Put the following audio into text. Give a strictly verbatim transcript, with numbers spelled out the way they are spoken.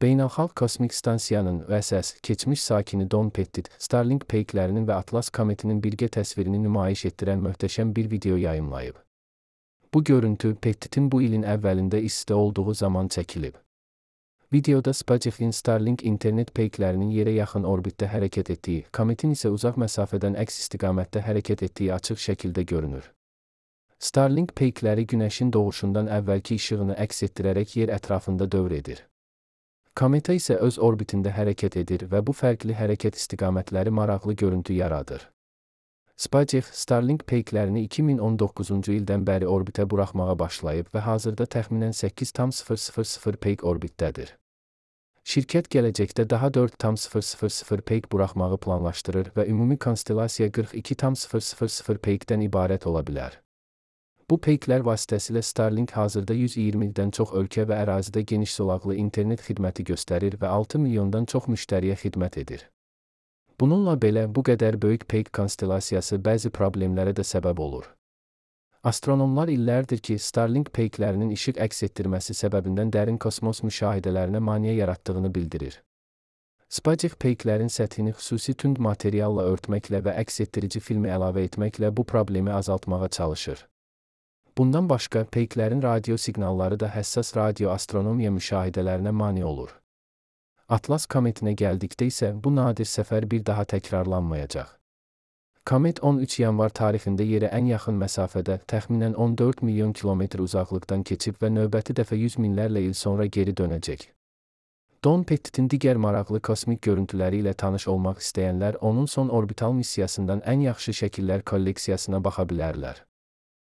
Beynəlxalq Kosmik Stansiyanın V S S keçmiş sakini Don Pettit, Starlink peyklərinin və Atlas kometinin birgə təsvirini nümayiş etdirən möhtəşəm bir video yayımlayıb. Bu görüntü Pettitin bu ilin əvvəlində istidə olduğu zaman çəkilib. Videoda SpaceX'in Starlink internet peyklərinin yerə yaxın orbitdə hərəkət etdiyi, kometin isə uzaq məsafədən əks istiqamətdə hərəkət etdiyi açıq şəkildə görünür. Starlink peykləri günəşin doğuşundan əvvəlki işığını əks etdirərək yer ətrafında dövr edir. Kometa isə öz orbitində hərəkət edir və bu fərqli hərəkət istiqamətləri maraqlı görüntü yaradır. SpaceX, Starlink peyklərini iki min on doqquzuncu ildən bəri orbitə buraxmağa başlayıb və hazırda təxminən səkkiz min sıfır peyk orbitdədir. Şirkət gələcəkdə daha dörd min sıfır peyk buraxmağı planlaşdırır və ümumi konstellasiya qırx iki min sıfır peykdən ibarət ola bilər. Bu peyklər vasitəsilə Starlink hazırda yüz iyirmidən çox ölkə və ərazidə geniş zolaqlı internet xidməti göstərir və altı milyondan çox müştəriyə xidmət edir. Bununla belə, bu qədər böyük peyk konstellasiyası bəzi problemlərə də səbəb olur. Astronomlar illərdir ki, Starlink peyklərinin işıq əks etdirməsi səbəbindən dərin kosmos müşahidələrinə maneə yaratdığını bildirir. SpaceX peyklərin səthini xüsusi tünd materialla örtməklə və əks etdirici filmi əlavə etməklə bu problemi azaltmağa çalışır. Bundan başqa, peyklərin radio siqnalları da həssas radioastronomiya müşahidələrinə mane olur. Atlas kometinə gəldikdə isə bu nadir səfər bir daha təkrarlanmayacaq. Komet on üç yanvar tarixində yerə ən yaxın məsafədə, təxminən on dörd milyon kilometr uzaqlıqdan keçib və növbəti dəfə yüz minlərlə il sonra geri dönəcək. Don Pettitin digər maraqlı kosmik görüntüləri ilə tanış olmaq istəyənlər onun son orbital missiyasından ən yaxşı şəkillər kolleksiyasına baxa bilərlər.